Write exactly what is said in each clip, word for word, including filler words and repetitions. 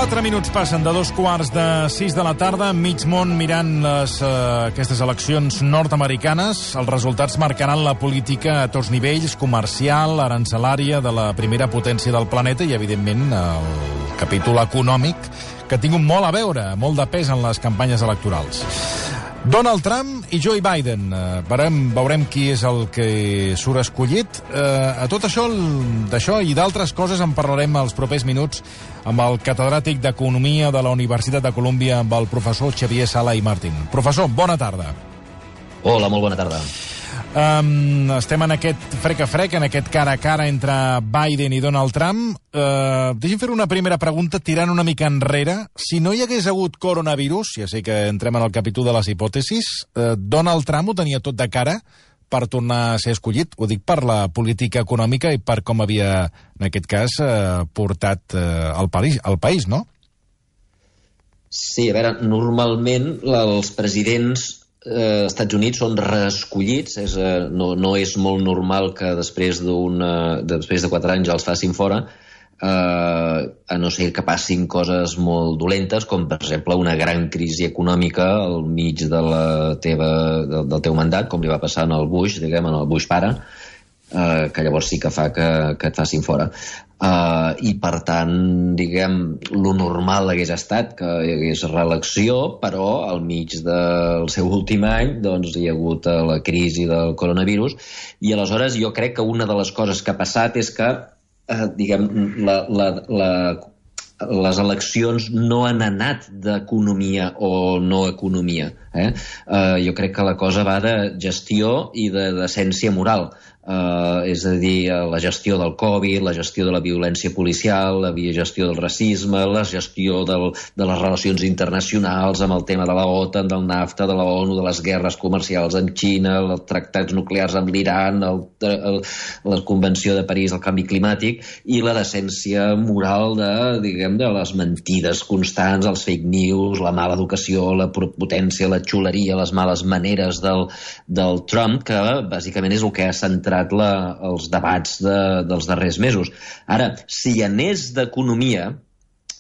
Quatre minuts passen de dos quarts de sis de la tarda, mig món mirant les, eh, aquestes eleccions nord-americanes. Els resultats marcaran la política a tots nivells, comercial, arancelària, de la primera potència del planeta i, evidentment, el capítol econòmic, que ha tingut molt a veure, molt de pes en les campanyes electorals. Donald Trump i Joe Biden. Eh, veurem, veurem qui és el que surt escollit. Eh, a tot això, d'això i d'altres coses en parlarem els propers minuts amb el catedràtic d'Economia de la Universitat de Colúmbia, amb el professor Xavier Sala i Martín. Professor, bona tarda. Hola, molt bona tarda. Um, estem en aquest frec a frec, en aquest cara a cara entre Biden i Donald Trump. Uh, deixi'm fer una primera pregunta tirant una mica enrere. Si no hi hagués hagut coronavirus, ja sé que entrem en el capítol de les hipòtesis, uh, Donald Trump ho tenia tot de cara per tornar a ser escollit. Ho dic per la política econòmica i per com havia, en aquest cas, uh, portat uh, el, país, el país, no? Sí, a veure, normalment els presidents Eh, Estats Units són reescollits, és, eh, no, no és molt normal que després, d'una, després de quatre anys els facin fora, eh, a no ser que passin coses molt dolentes, com per exemple una gran crisi econòmica al mig de la teva, de, del teu mandat, com li va passar en el Bush, diguem, en el Bush pare, eh, que llavors sí que fa que, que et facin fora. Uh, i per tant, diguem, lo normal hagués estat que hi hagués reelecció, però al mig del seu últim any doncs hi ha hagut la crisi del coronavirus, i aleshores jo crec que una de les coses que ha passat és que uh, diguem, la, la, la, les eleccions no han anat d'economia o no economia, eh? Uh, jo crec que la cosa va de gestió i de decència moral. Uh, és a dir, la gestió del Covid, la gestió de la violència policial, la gestió del racisme, la gestió del, de les relacions internacionals amb el tema de la OTAN, del NAFTA, de la ONU, de les guerres comercials amb Xina, els tractats nuclears amb l'Iran, el, el, la Convenció de París, el canvi climàtic, i la decència moral de, diguem, de les mentides constants, els fake news, la mala educació, la potència, la xuleria, les males maneres del, del Trump, que bàsicament és el que ha centrat La, els debats de, dels darrers mesos. Ara, si hi anés d'economia,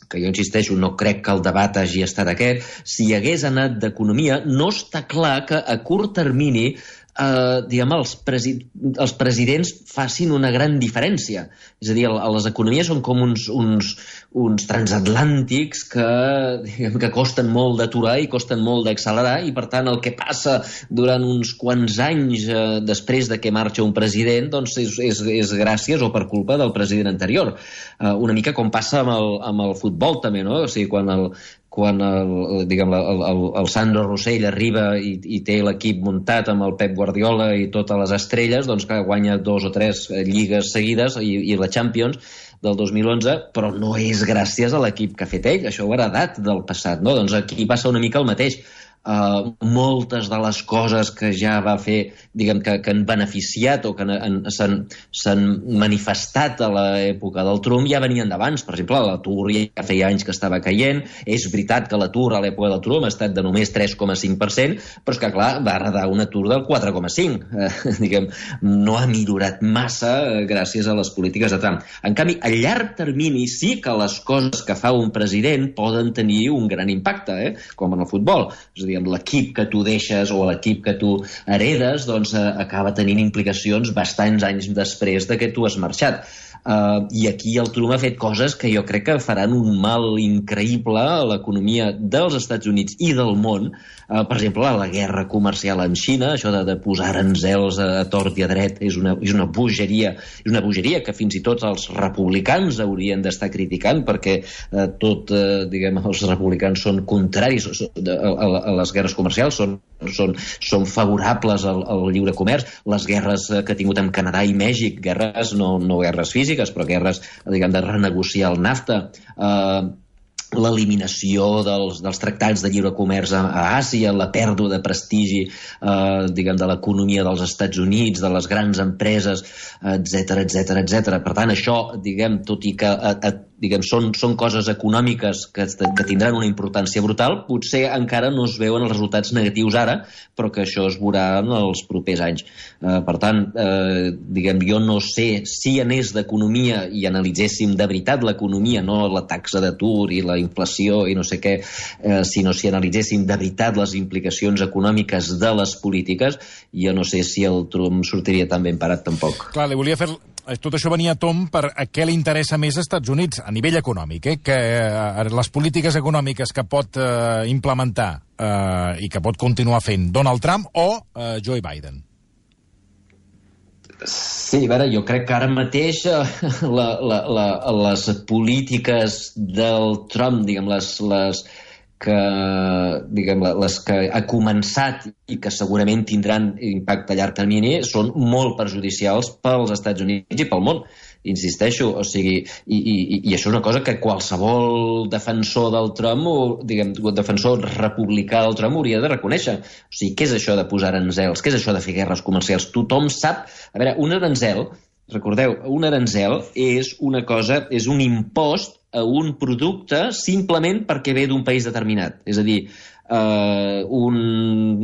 que jo insisteixo, no crec que el debat hagi estat aquest, si hi hagués anat d'economia, no està clar que a curt termini eh, diguem, els, presi els presidents facin una gran diferència. És a dir, les economies són com uns, uns, uns transatlàntics que, diguem, que costen molt d'aturar i costen molt d'accelerar, i per tant el que passa durant uns quants anys eh, després de que marxa un president doncs és, és, és gràcies o per culpa del president anterior. Eh, una mica com passa amb el, amb el futbol també, no? O sigui, quan el, quan el, diguem, el, el, el Sandro Rossell arriba i, i té l'equip muntat amb el Pep Guardiola i totes les estrelles, doncs que guanya dos o tres lligues seguides i, i la Champions del dos mil onze, però no és gràcies a l'equip que ha fet ell, això ho ha heredat del passat, no? Doncs aquí passa una mica el mateix. Uh, moltes de les coses que ja va fer, diguem, que, que han beneficiat o que s'han manifestat a l'època del Trump ja venien d'abans. Per exemple, l'atur ja feia anys que estava caient. És veritat que l'atur a l'època del Trump ha estat de només tres coma cinc per cent, però és que, clar, va heredar un atur del quatre coma cinc. Uh, diguem, no ha millorat massa uh, gràcies a les polítiques de Trump. En canvi, a llarg termini sí que les coses que fa un president poden tenir un gran impacte, eh? Com en el futbol. És a dir, l'equip que tu deixes o l'equip que tu heredes doncs, eh, acaba tenint implicacions bastants anys després de que tu has marxat. Uh, I aquí el Trump ha fet coses que jo crec que faran un mal increïble a l'economia dels Estats Units i del món. Uh, per exemple, la guerra comercial amb Xina, això de, de posar aranzels a, a tort i a dret, és una, és una bogeria, és una bogeria que fins i tot els republicans haurien d'estar criticant, perquè uh, tot, uh, diguem, els republicans són contraris a, a, a les guerres comercials, són, són, són favorables al, al lliure comerç. Les guerres que ha tingut amb Canadà i Mèxic, guerres, no, no guerres físiques, però guerres, diguem, de renegociar el NAFTA, eh, l'eliminació dels, dels tractats de lliure comerç a, a Àsia, la pèrdua de prestigi eh, diguem, de l'economia dels Estats Units, de les grans empreses, etcètera, etcètera, etcètera. Per tant, això, diguem, tot i que a, a, diguem, són, són coses econòmiques que, que tindran una importància brutal, potser encara no es veuen els resultats negatius ara, però que això es veurà en els propers anys. Eh, per tant, eh, diguem, jo no sé si anés d'economia i analitzéssim de veritat l'economia, no la taxa d'atur i la inflació i no sé què, eh, sinó si analitzéssim de veritat les implicacions econòmiques de les polítiques, jo no sé si el Trump sortiria tan ben parat tampoc. Clar, li volia fer... Tot això venia a tom per a què li interessa més als Estats Units, a nivell econòmic, eh? que eh, les polítiques econòmiques que pot eh, implementar eh, i que pot continuar fent Donald Trump o eh, Joe Biden. Sí, a veure, jo crec que ara mateix eh, la, la, la, les polítiques del Trump, diguem, les... les que, diguem, les que ha començat i que segurament tindran impacte a llarg termini són molt perjudicials pels Estats Units i pel món, insisteixo, o sigui, i, i, i això és una cosa que qualsevol defensor del Trump, o, diguem, defensor republicà del Trump hauria de reconèixer. O sigui, què és això de posar aranzels? Què és això de fer guerres comercials? Tothom sap... A veure, un aranzel, recordeu, un aranzel és una cosa, és un impost a un producte simplement perquè ve d'un país determinat. És a dir, eh, un,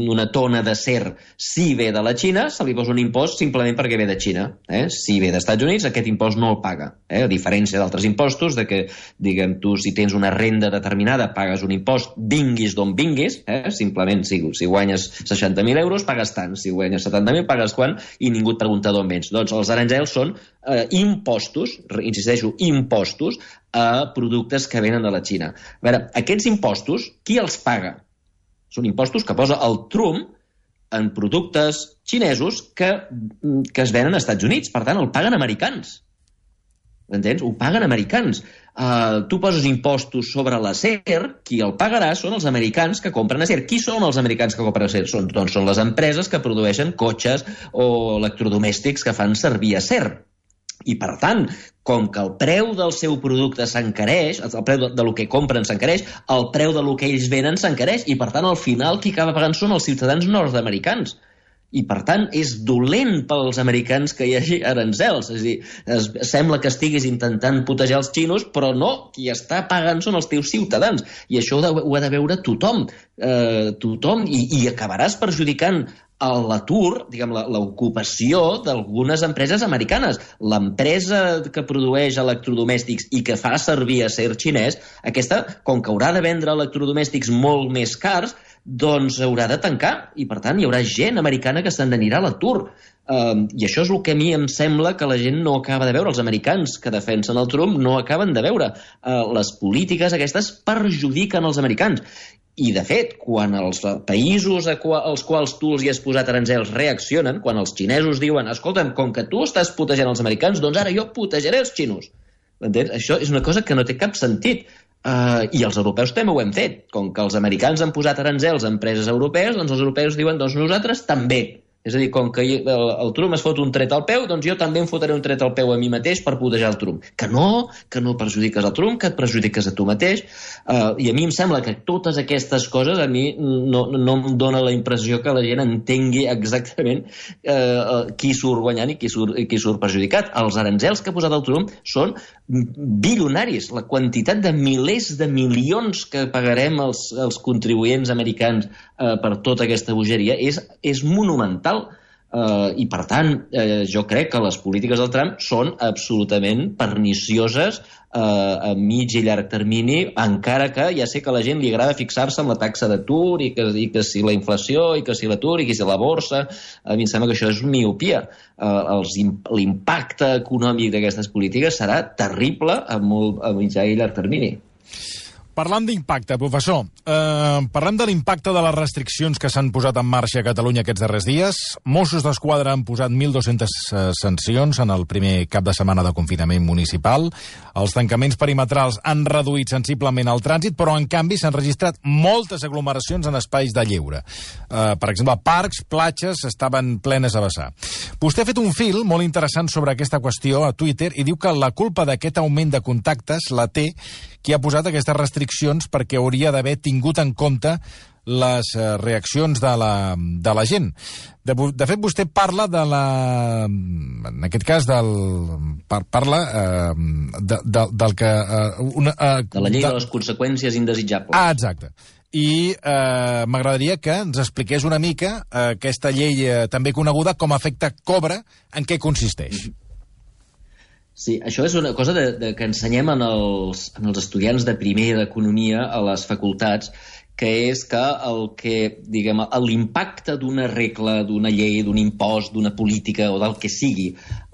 una tona d'acer, si ve de la Xina, se li posa un impost simplement perquè ve de Xina. Eh? Si ve dels Estats Units, aquest impost no el paga. Eh? A diferència d'altres impostos, de que, diguem, tu si tens una renda determinada pagues un impost, vinguis d'on vinguis, eh? simplement si, si guanyes seixanta mil euros pagues tant, si guanyes setanta mil pagues quan, i ningú et pregunta d'on vens. Doncs els aranzels són eh, impostos, insisteixo, impostos a productes que venen de la Xina. A veure, aquests impostos, qui els paga? Són impostos que posa el Trump en productes xinesos que, que es venen als Estats Units. Per tant, el paguen americans. Entens? Ho paguen americans. Uh, tu poses impostos sobre l'acer, qui el pagarà són els americans que compren acer. Qui són els americans que compren acer? Són, doncs són les empreses que produeixen cotxes o electrodomèstics que fan servir acer. I, per tant, com que el preu del seu producte s'encareix, el preu de, de lo que compren s'encareix, el preu de lo que ells venen s'encareix, i, per tant, al final, qui acaba pagant són els ciutadans nord-americans. I, per tant, és dolent pels americans que hi hagi aranzels. És a dir, es, sembla que estiguis intentant putejar els xinos, però no, qui està pagant són els teus ciutadans. I això ho, de, ho ha de veure tothom. Eh, tothom, i, i acabaràs perjudicant a l'atur, diguem, l'ocupació d'algunes empreses americanes. L'empresa que produeix electrodomèstics i que fa servir acer xinès, aquesta, com que haurà de vendre electrodomèstics molt més cars, doncs haurà de tancar, i per tant hi haurà gent americana que se'n anirà a l'atur. Uh, I això és el que a mi em sembla que la gent no acaba de veure. Els americans que defensen el Trump no acaben de veure. Uh, les polítiques aquestes perjudiquen els americans. I, de fet, quan els països als quals tu els hi has posat aranzels reaccionen, quan els xinesos diuen, escolta'm, com que tu estàs putejant els americans, doncs ara jo putejaré els xinos. Entens? Això és una cosa que no té cap sentit. Uh, I els europeus també ho hem fet. Com que els americans han posat aranzels a empreses europees, doncs els europeus diuen, doncs nosaltres també. És a dir, com que el, el Trump es fot un tret al peu, doncs jo també em fotré un tret al peu a mi mateix per putejar el Trump. Que no, que no perjudiques el Trump, que et perjudiques a tu mateix. Uh, I a mi em sembla que totes aquestes coses a mi no, no em dona la impressió que la gent entengui exactament uh, qui surt guanyant i qui surt, qui surt perjudicat. Els aranzels que ha posat el Trump són bilionaris. La quantitat de milers de milions que pagarem els, els contribuents americans uh, per tota aquesta bogeria és, és monumental. Uh, I, per tant, uh, jo crec que les polítiques del Trump són absolutament pernicioses uh, a mig i llarg termini, encara que ja sé que a la gent li agrada fixar-se en la taxa d'atur i, que, i que si la inflació i que si l'atur i que si la borsa. A mi em sembla que això és miopia. Uh, l'impacte econòmic d'aquestes polítiques serà terrible a, molt, a mitjà i llarg termini. Parlant d'impacte, professor, eh, parlem de l'impacte de les restriccions que s'han posat en marxa a Catalunya aquests darrers dies. Mossos d'Esquadra han posat mil dos-centes sancions en el primer cap de setmana de confinament municipal. Els tancaments perimetrals han reduït sensiblement el trànsit, però en canvi s'han registrat moltes aglomeracions en espais de lleure. Eh, per exemple, parcs, platges estaven plenes a vessar. Vostè ha fet un fil molt interessant sobre aquesta qüestió a Twitter i diu que la culpa d'aquest augment de contactes la té qui ha posat aquestes restriccions restriccions perquè hauria d'haver tingut en compte les reaccions de la, de la gent. De, de fet, vostè parla de la... En aquest cas, del, par, parla eh, de, de, del que... Eh, una, eh, de la llei de, de les conseqüències indesitjables. Ah, exacte. I eh, m'agradaria que ens expliqués una mica eh, aquesta llei eh, també coneguda com a efecte Cobra, en què consisteix. Sí, això és una cosa de, de que ensenyem en els, en els estudiants de primer d'economia a les facultats, que és que el que, diguem, l'impacte d'una regla, d'una llei, d'un impost, d'una política o del que sigui,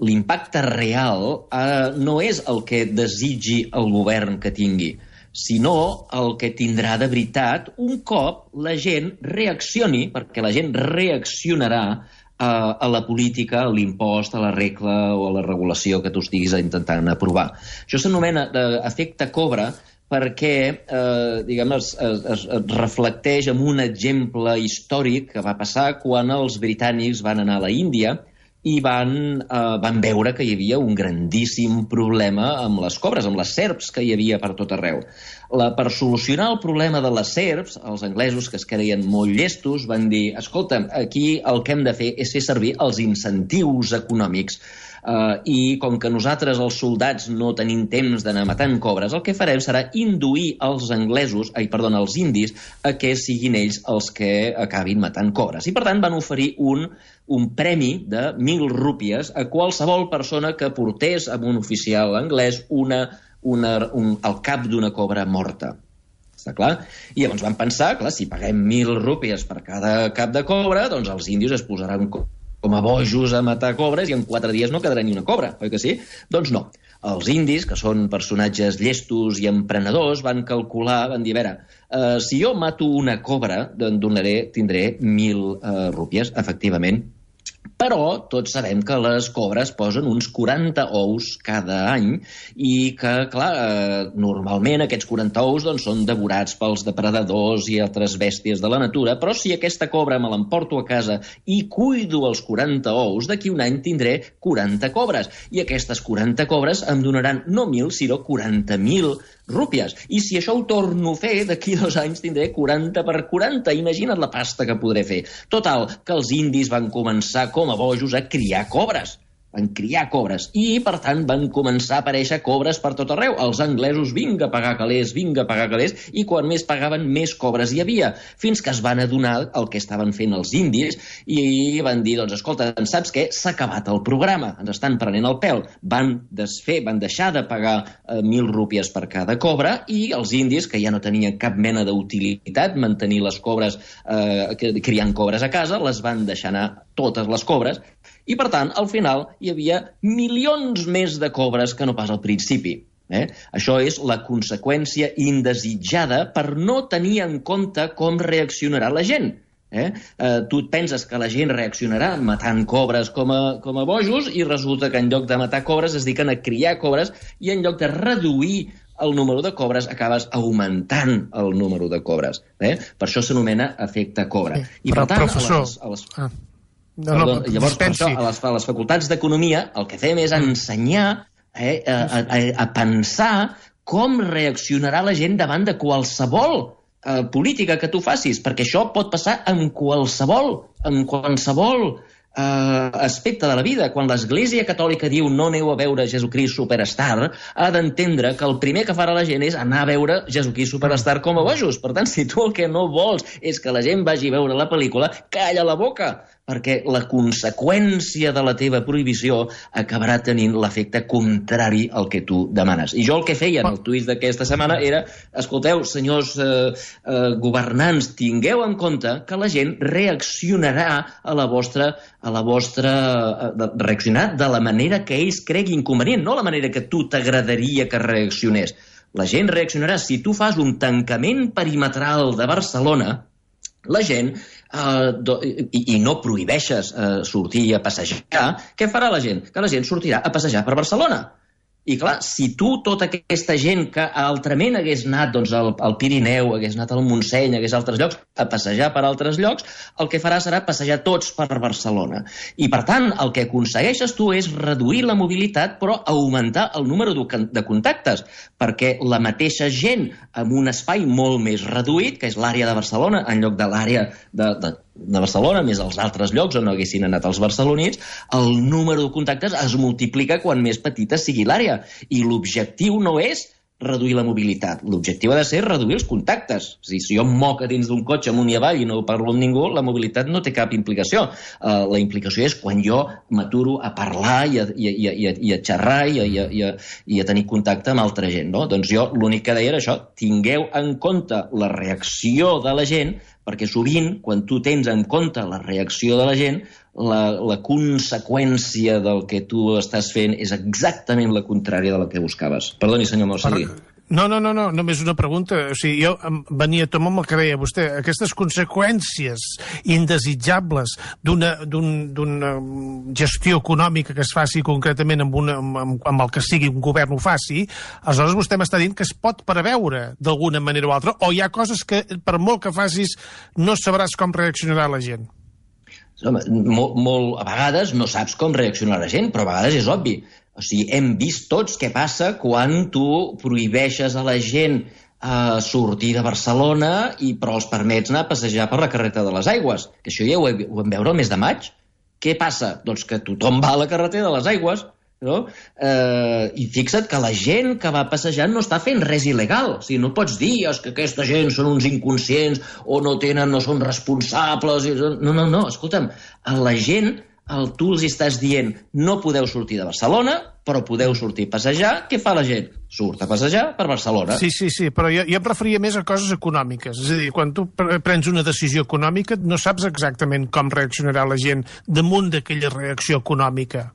l'impacte real eh, no és el que desitgi el govern que tingui, sinó el que tindrà de veritat un cop la gent reaccioni, perquè la gent reaccionarà a, a la política, a l'impost, a la regla o a la regulació que tu estiguis intentant aprovar. Això s'anomena efecte Cobra, perquè eh, diguem, es, es, es reflecteix en un exemple històric que va passar quan els britànics van anar a la Índia i van, eh, van veure que hi havia un grandíssim problema amb les cobres, amb les serps que hi havia per tot arreu. La, per solucionar el problema de les serps, els anglesos, que es creien molt llestos, van dir, escolta, aquí el que hem de fer és fer servir els incentius econòmics. Uh, i com que nosaltres, els soldats, no tenim temps d'anar matant cobres, el que farem serà induir els anglesos, ai, perdona, els indis, a que siguin ells els que acabin matant cobres. I, per tant, van oferir un, un premi de mil rúpies a qualsevol persona que portés amb un oficial anglès una, una, un, el cap d'una cobra morta. Està clar? I llavors van pensar, clar, si paguem mil rúpies per cada cap de cobra, doncs els indis es posaran com a bojos a matar cobres i en quatre dies no quedarà ni una cobra, oi que sí? Doncs no. Els indis, que són personatges llestos i emprenedors, van calcular, van dir, a veure, eh, si jo mato una cobra, doncs donaré, tindré mil eh, rúpies, efectivament. Però tots sabem que les cobres posen uns quaranta ous cada any i que, clar, eh, normalment aquests quaranta ous doncs, són devorats pels depredadors i altres bèsties de la natura, però si aquesta cobra me l'emporto a casa i cuido els quaranta ous, d'aquí un any tindré quaranta cobres. I aquestes quaranta cobres em donaran no mil, sinó quaranta mil rúpies. I si això ho torno a fer, d'aquí dos anys tindré quaranta per quaranta. Imagina't la pasta que podré fer. Total, que els indis van començar com a bojos a criar cobres. Van criar cobres i, per tant, van començar a aparèixer cobres per tot arreu. Els anglesos, vinga a pagar calés, vinga a pagar calés, i quan més pagaven, més cobres hi havia, fins que es van adonar el que estaven fent els indis i van dir, doncs, escolta, saps què? S'ha acabat el programa, ens estan prenent el pèl. Van desfer, van deixar de pagar eh, mil rúpies per cada cobra i els indis, que ja no tenien cap mena d'utilitat mantenir les cobres, eh, criant cobres a casa, les van deixar anar totes les cobres. I, per tant, al final hi havia milions més de cobres que no pas al principi. Eh? Això és la conseqüència indesitjada per no tenir en compte com reaccionarà la gent. Eh? Eh, tu et penses que la gent reaccionarà matant cobres com a, com a bojos i resulta que en lloc de matar cobres es dediquen a criar cobres i en lloc de reduir el número de cobres acabes augmentant el número de cobres. Eh? Per això s'anomena efecte Cobra. Sí, I, però, per tant, professor... a les, a les... Ah. No, Perdó, no, llavors, per dispensi. això, a les, a les facultats d'Economia el que fem és ensenyar eh, a, a, a pensar com reaccionarà la gent davant de qualsevol eh, política que tu facis, perquè això pot passar en qualsevol, en qualsevol Uh, aspecte de la vida. Quan l'Església Catòlica diu no aneu a veure Jesucrist Superstar, ha d'entendre que el primer que farà la gent és anar a veure Jesucrist Superstar com a bojos. Per tant, si tu el que no vols és que la gent vagi a veure la pel·lícula, calla la boca, perquè la conseqüència de la teva prohibició acabarà tenint l'efecte contrari al que tu demanes. I jo el que feia en el tuit d'aquesta setmana era, escolteu, senyors eh, eh, governants, tingueu en compte que la gent reaccionarà a la vostra a la vostra... Eh, reaccionar de la manera que ells creguin convenient, no la manera que tu t'agradaria que reaccionés. La gent reaccionarà. Si tu fas un tancament perimetral de Barcelona, la gent, eh, do, i, i no prohibeixes eh, sortir a passejar, què farà la gent? Que la gent sortirà a passejar per Barcelona. I clar, si tu, tota aquesta gent que altrament hagués anat doncs, al, al Pirineu, hagués anat al Montseny, hagués a altres llocs, a passejar per altres llocs, el que farà serà passejar tots per Barcelona. I, per tant, el que aconsegueixes tu és reduir la mobilitat, però augmentar el número de contactes, perquè la mateixa gent amb un espai molt més reduït, que és l'àrea de Barcelona, en lloc de l'àrea de, de, de Barcelona, més els altres llocs on haguessin anat els barcelonins, el número de contactes es multiplica quan més petita sigui l'àrea. I l'objectiu no és reduir la mobilitat. L'objectiu ha de ser reduir els contactes. És a dir, si jo em moc a dins d'un cotxe amunt i avall i no parlo amb ningú, la mobilitat no té cap implicació. Uh, la implicació és quan jo m'aturo a parlar i a, i a, i a, i a xerrar i a, i, a, i, a, i a tenir contacte amb altra gent. No? Doncs jo l'únic que deia era això, tingueu en compte la reacció de la gent, perquè sovint, quan tu tens en compte la reacció de la gent, la, la conseqüència del que tu estàs fent és exactament la contrària de la que buscaves. Perdoni, senyor Morcilli. No, no, no, no, només una pregunta. O sigui, jo venia a tomar amb el que deia vostè. Aquestes conseqüències indesitjables d'una d'una gestió econòmica que es faci concretament amb, una, amb, amb el que sigui un govern ho faci, aleshores vostè m'està dient que es pot preveure d'alguna manera o altra, o hi ha coses que per molt que facis no sabràs com reaccionarà la gent? Home, molt, molt, a vegades no saps com reaccionar la gent, però a vegades és obvi. O sigui, hem vist tots què passa quan tu prohibeixes a la gent eh, sortir de Barcelona i però els permets anar a passejar per la carretera de les Aigües. Que això ja ho, he, ho vam veure el mes de maig. Què passa? Doncs que tothom va a la carretera de les Aigües. No? Eh, I fixa't que la gent que va passejant no està fent res il·legal. O sigui, no pots dir és que aquesta gent són uns inconscients o no tenen, no són responsables. No, no, no, escolta'm, a la gent el, tu els estàs dient no podeu sortir de Barcelona, però podeu sortir a passejar. Què fa la gent? Surt a passejar per Barcelona. Sí, sí, sí, però jo, jo em referia més a coses econòmiques. És a dir, quan tu prens una decisió econòmica no saps exactament com reaccionarà la gent damunt d'aquella reacció econòmica.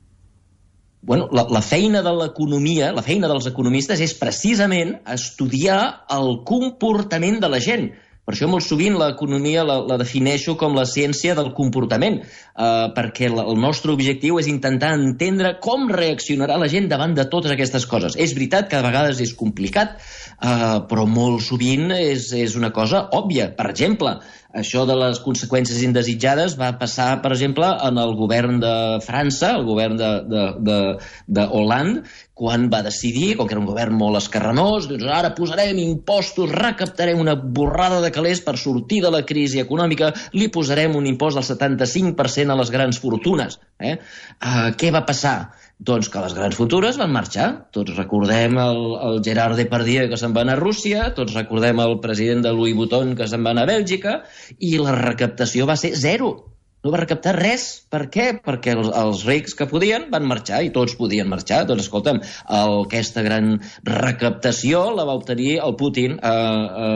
Bueno, la, la feina de l'economia, la feina dels economistes és precisament estudiar el comportament de la gent. Per això molt sovint l'economia la, la defineixo com la ciència del comportament, eh, perquè la, el nostre objectiu és intentar entendre com reaccionarà la gent davant de totes aquestes coses. És veritat que a vegades és complicat, eh, però molt sovint és, és una cosa òbvia. Per exemple, això de les conseqüències indesitjades va passar, per exemple, en el govern de França, el govern de, de, de, de Hollande, quan va decidir, com que era un govern molt escarranós, doncs ara posarem impostos, recaptarem una borrada de calés per sortir de la crisi econòmica, li posarem un impost del setanta-cinc per cent a les grans fortunes. Eh? Uh, què va passar? Doncs que les grans fortunes van marxar. Tots recordem el, el Gerard Depardieu que se'n va anar a Rússia, tots recordem el president de Louis Vuitton que se'n va anar a Bèlgica, i la recaptació va ser zero. No va recaptar res. Per què? Perquè els, els rics que podien van marxar, i tots podien marxar. Doncs escolta'm, el, aquesta gran recaptació la va obtenir el Putin a, a,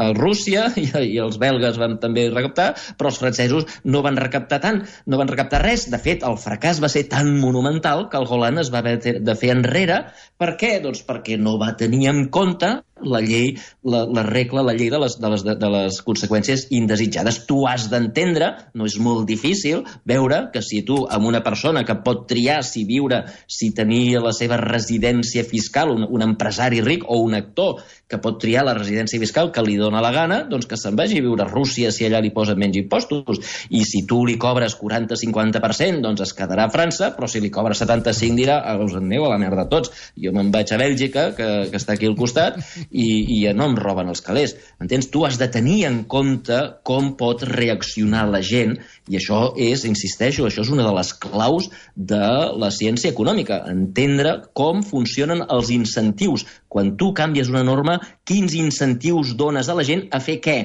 a Rússia, i, i els belgues van també recaptar, però els francesos no van recaptar tant, no van recaptar res. De fet, el fracàs va ser tan monumental que el Hollande es va haver de fer enrere. Per què? Doncs perquè no va tenir en compte la llei, la, la regla, la llei de les, de, les, de les conseqüències indesitjades. Tu has d'entendre, no és molt difícil, veure que si tu, amb una persona que pot triar si viure, si tenir la seva residència fiscal, un, un empresari ric o un actor que pot triar la residència fiscal que li dona la gana, doncs que se'n vagi a viure a Rússia si allà li posen menys impostos. I si tu li cobres quaranta a cinquanta per cent, doncs es quedarà a França, però si li cobres setanta-cinc dirà, ah, us en aneu a la merda tots. Jo me'n vaig a Bèlgica, que, que està aquí al costat, i, i no em roben els calés. Entens? Tu has de tenir en compte com pot reaccionar la gent, i això és, insisteixo, això és una de les claus de la ciència econòmica, entendre com funcionen els incentius. Quan tu canvies una norma, quins incentius dones a la gent a fer què?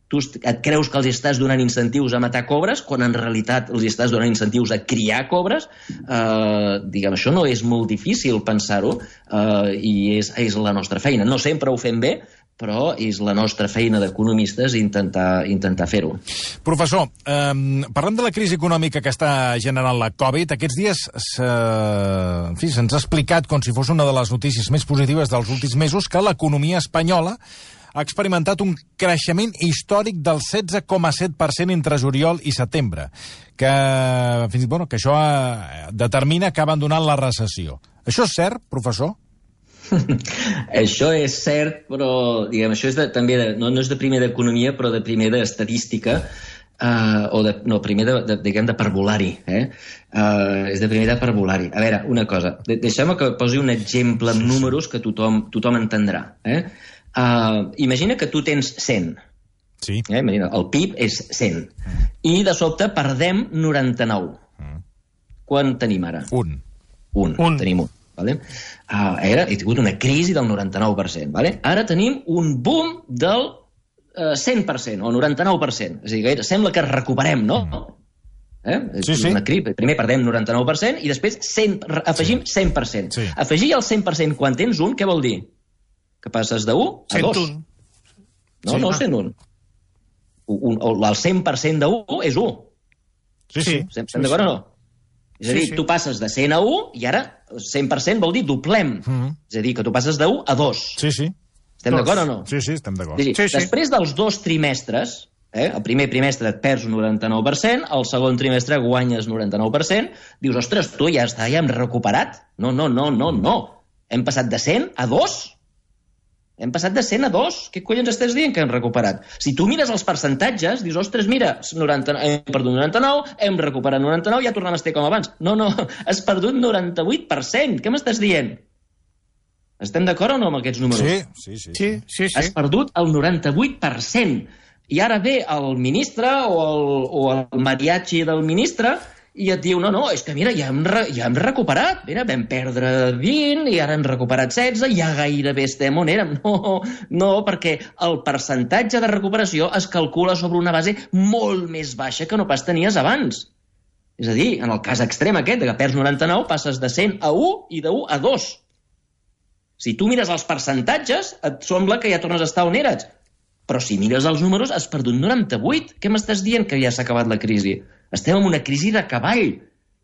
Tu et creus que els estàs donant incentius a matar cobres, quan en realitat els estàs donant incentius a criar cobres? Eh, diguem, això no és molt difícil pensar-ho, eh, i és, és la nostra feina. No sempre ho fem bé, però és la nostra feina d'economistes intentar, intentar fer-ho. Professor, eh, parlem de la crisi econòmica que està generant la Covid. Aquests dies en fi, se'ns ha explicat, com si fos una de les notícies més positives dels últims mesos, que l'economia espanyola ha experimentat un creixement històric del setze coma set per cent entre juliol i setembre, que, bueno, que això determina que ha abandonat la recessió. Això és cert, professor? Això és cert, però diguem, això és de, també de, no, no és de primer d'economia, però de primer d'estadística, uh, o de, no, primer de, de, diguem, de parvulari. Eh? Uh, és de primer de parvulari. A veure, una cosa, de, deixeu-me que posi un exemple amb números que tothom, tothom entendrà. Eh? Uh, imagina que tu tens cent. Sí. Eh? Imagina, el P I B és cent. Mm. I de sobte perdem noranta-nou. Mm. Quan tenim ara? Un. Un, un. tenim un. Vale? Uh, era, he tingut una crisi del noranta-nou per cent. Vale? Ara tenim un boom del uh, cent per cent o noranta-nou per cent. És a dir, que sembla que recuperem, no? Eh? Sí, sí. Una crisi. Primer perdem noranta-nou per cent i després cent, afegim sí. cent per cent. Sí. Afegir el cent per cent quan tens un, què vol dir? Que passes de u a dos. cent un. No, sí, no, cent un. Un, un, el cent per cent de u és u. Sí, sí. Estem sí, d'acord sí. o no? És a dir, sí, sí. tu passes de cent a u i ara cent per cent vol dir doblem. Mm-hmm. És a dir, que tu passes de u a dos. Sí, sí. Estem d'acord o no? Sí, sí, estem d'acord. Sí, sí. Sí, Després sí. dels dos trimestres, eh, el primer trimestre et perds un noranta-nou per cent, el segon trimestre guanyes noranta-nou per cent, dius, ostres, tu ja està, ja hem recuperat? No, no, no, no, no. Hem passat de cent a dos. Hem passat de cent a dos. Què collons estàs dient que hem recuperat? Si tu mires els percentatges, dius, ostres, mira, noranta, hem perdut noranta-nou, hem recuperat noranta-nou, ja tornem a estar com abans. No, no, has perdut noranta-vuit per cent. Què m'estàs dient? Estem d'acord o no amb aquests números? Sí, sí, sí. sí, sí, sí. Has perdut el noranta-vuit per cent. I ara ve el ministre o el, o el mariachi del ministre i et diu, no, no, és que mira, ja hem, re, ja hem recuperat. Mira, vam perdre vint i ara hem recuperat setze, ja gairebé estem on érem. No, no, perquè el percentatge de recuperació es calcula sobre una base molt més baixa que no pas tenies abans. És a dir, en el cas extrem aquest, que perds noranta-nou, passes de cent a u i de u a dos. Si tu mires els percentatges, et sembla que ja tornes a estar on eres. Però si mires els números, has perdut noranta-vuit. Què m'estàs dient que ja s'ha acabat la crisi? Estem en una crisi de cavall.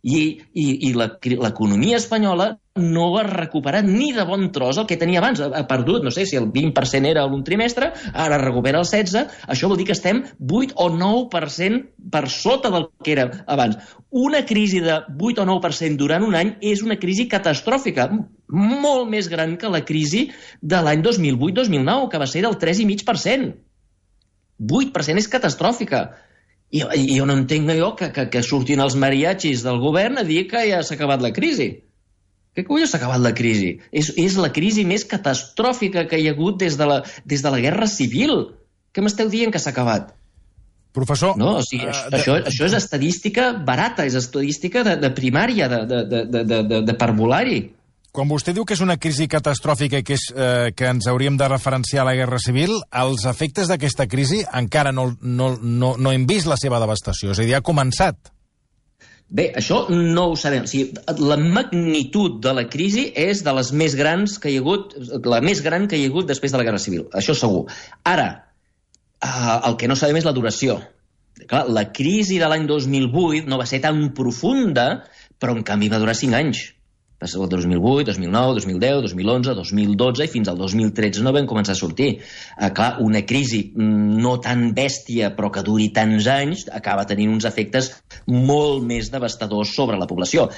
I, i, i l'economia espanyola no ha recuperat ni de bon tros el que tenia abans. Ha, ha perdut, no sé si el vint per cent era un trimestre, ara recupera el setze. Això vol dir que estem vuit o nou per cent per sota del que era abans. Una crisi de vuit o nou per cent durant un any és una crisi catastròfica, molt més gran que la crisi de l'any dos mil vuit dos mil nou, que va ser del tres coma cinc per cent. vuit per cent és catastròfica. I, i jo no entenc jo que, que, que surtin els mariachis del govern a dir que ja s'ha acabat la crisi. Què collons s'ha acabat la crisi? És, és la crisi més catastròfica que hi ha hagut des de la, des de la Guerra Civil. Què m'esteu dient que s'ha acabat? Professor... No, o sigui, això, uh, això, això és estadística barata, és estadística de, de primària, de, de, de, de, de, de parvulari. Quan vostè diu que és una crisi catastròfica i que, és, eh, que ens hauríem de referenciar a la Guerra Civil, els efectes d'aquesta crisi encara no, no, no, no hem vist la seva devastació, és a dir, ha començat. Bé, això no ho sabem. O sigui, la magnitud de la crisi és de les més grans que hi ha hagut, la més gran que hi ha hagut després de la Guerra Civil, això segur. Ara, eh, el que no sabem és la duració. Clar, la crisi de l'any dos mil vuit no va ser tan profunda, però en canvi va durar cinc anys. Va ser el dos mil vuit, dos mil nou, dos mil deu, dos mil onze, dos mil dotze i fins al dos mil tretze no vam començar a sortir. Eh, clar, una crisi no tan bèstia però que duri tants anys acaba tenint uns efectes molt més devastadors sobre la població.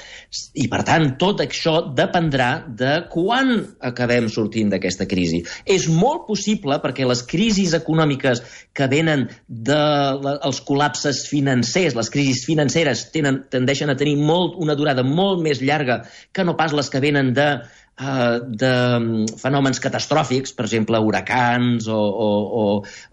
I per tant, tot això dependrà de quan acabem sortint d'aquesta crisi. És molt possible perquè les crisis econòmiques que venen dels col·lapses financers, les crisis financeres tenen, tendeixen a tenir molt, una durada molt més llarga que no pas les que venen de, uh, de fenòmens catastròfics, per exemple, huracans o, o, o,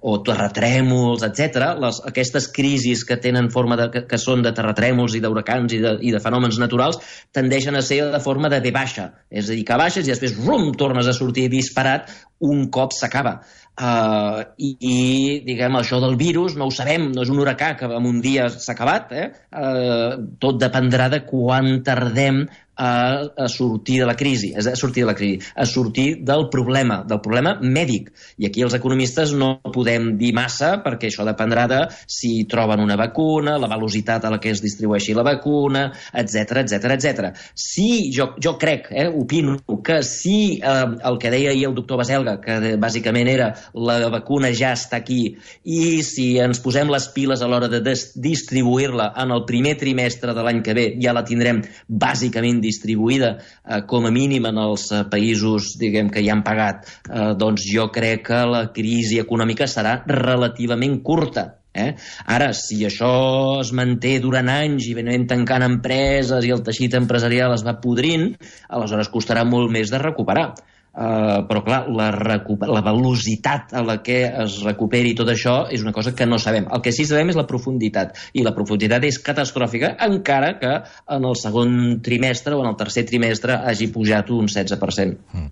o terratrèmols, etcètera. Les, aquestes crisis que tenen forma de, que, que són de terratrèmols i d'huracans i, de, i de fenòmens naturals tendeixen a ser de forma de ve baixa. És a dir, que baixes i després rum, tornes a sortir disparat un cop s'acaba. Uh, i, i, diguem, això del virus no ho sabem, no és un huracà que en un dia s'ha acabat, eh? Uh, tot dependrà de quan tardem a, a sortir de la crisi, a sortir de la crisi, a sortir del problema, del problema mèdic. I aquí els economistes no podem dir massa perquè això dependrà de si troben una vacuna, la velocitat a la que es distribueixi la vacuna, etcètera, etcètera, etcètera. Si, jo, jo crec, eh, opino, que si eh, el que deia ahir el doctor Baselga, que de, bàsicament era la vacuna ja està aquí, i si ens posem les piles a l'hora de distribuir-la en el primer trimestre de l'any que ve, ja la tindrem bàsicament distribuïda eh, com a mínim en els països, diguem, que hi han pagat, eh, doncs jo crec que la crisi econòmica serà relativament curta. Eh? Ara, si això es manté durant anys i venim tancant empreses i el teixit empresarial es va podrint, aleshores costarà molt més de recuperar. Uh, però clar, la, la velocitat a la que es recuperi tot això és una cosa que no sabem. El que sí sabem és la profunditat, i la profunditat és catastròfica, encara que en el segon trimestre o en el tercer trimestre hagi pujat un setze per cent. Mm.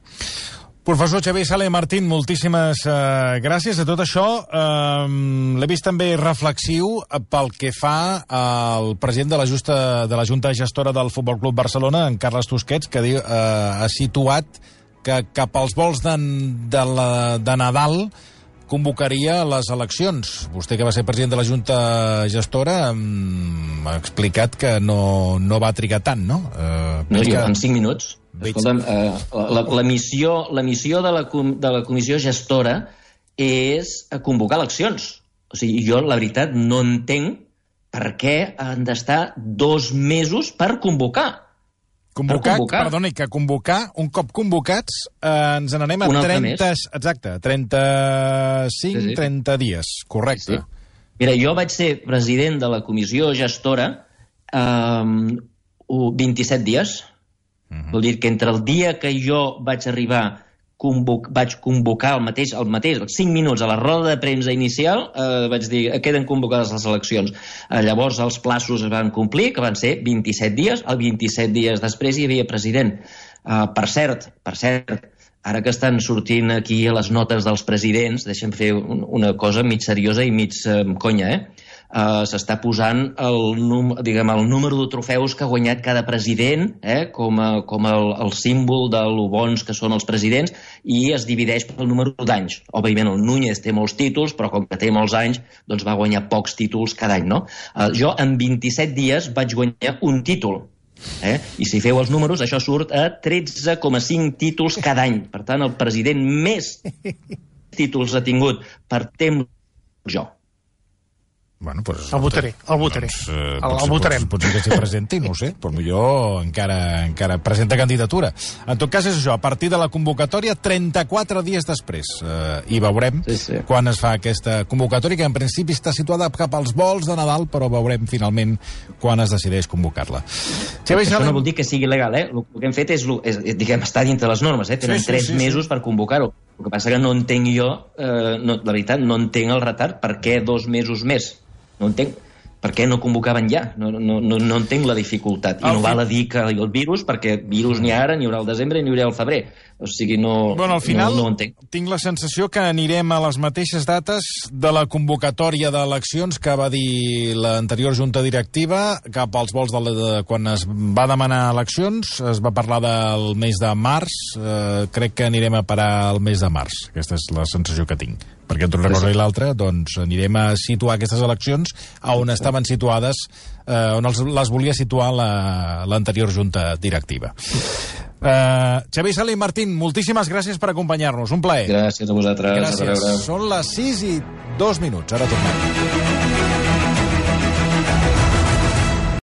Professor Xavier Sala i Martín, moltíssimes uh, gràcies a tot això. Uh, L'he vist també reflexiu pel que fa al president de la, justa, de la Junta Gestora del Futbol Club Barcelona, en Carles Tusquets, que diu, uh, ha situat que cap als vols de, de, la, de Nadal convocaria les eleccions. Vostè, que va ser president de la Junta Gestora, um, ha explicat que no, no va trigar tant, no? Uh, no, jo, que... en cinc minuts. Escolta'm, eh, la, la, missió, la missió de la, de la comissió gestora és convocar eleccions. O sigui, jo, la veritat, no entenc per què han d'estar dos mesos per convocar. Convocar, per convocar. Perdoni, que convocar, un cop convocats, eh, ens n'anem a trenta... Exacte, trenta-cinc, sí, sí. trenta dies, correcte. Sí, sí. Mira, jo vaig ser president de la comissió gestora eh, vint-i-set dies. Uh-huh. Vol dir que entre el dia que jo vaig arribar, convoc, vaig convocar el mateix, el mateix, cinc minuts a la roda de premsa inicial, eh, vaig dir, queden convocades les eleccions. Eh, llavors els plaços es van complir, que van ser vint-i-set dies, el vint-i-set dies després hi havia president. Eh, per cert, per cert, ara que estan sortint aquí les notes dels presidents, deixem fer un, una cosa mig seriosa i mig eh, conya, eh? Uh, s'està posant el, num, diguem, el número de trofeus que ha guanyat cada president, eh, com, a, com el, el símbol de lo bons que són els presidents, i es divideix pel número d'anys. Òbviament el Núñez té molts títols, però com que té molts anys, doncs va guanyar pocs títols cada any, no? Uh, jo en vint-i-set dies vaig guanyar un títol. Eh? I si feu els números, això surt a tretze coma cinc títols cada any. Per tant, el president més títols ha tingut per temps jo. Bueno, pues, el votaré, el votaré. Doncs, eh, el, el votarem. Potser que s'hi presenti, no ho sé, però millor encara, encara presenta candidatura. En tot cas és això, a partir de la convocatòria, trenta-quatre dies després. Eh, I veurem sí, sí. quan es fa aquesta convocatòria, que en principi està situada cap als vols de Nadal, però veurem finalment quan es decideix convocar-la. Si això no vol dir que sigui legal, eh? El que hem fet és, és diguem, estar dintre les normes, eh? Tenen sí, sí, tres sí, mesos sí. per convocar-ho. El que passa que no entenc jo, eh, no, la veritat, no entenc el retard. Per què dos mesos més? No entenc. Per què no convocaven ja? No, no, no, no entenc la dificultat. I no val a dir que el virus, perquè virus n'hi ha ara, n'hi haurà al desembre i n'hi haurà al febrer. O sigui, no, bueno, al final, no, no ho entenc. Tinc la sensació que anirem a les mateixes dates de la convocatòria d'eleccions que va dir l'anterior junta directiva, cap als vols de, la, de quan es va demanar eleccions, es va parlar del mes de març, eh, crec que anirem a parar el mes de març. Aquesta és la sensació que tinc. Perquè entre una cosa i l'altra, doncs anirem a situar aquestes eleccions a on estaven situades, eh, on els, les volia situar l'anterior la, junta directiva. Uh, Xavier Sala i Martín, moltíssimes gràcies per acompanyar-nos. Un plaer. Gràcies a vosaltres. Gràcies. Són les sis i dos minuts. Ara tornem.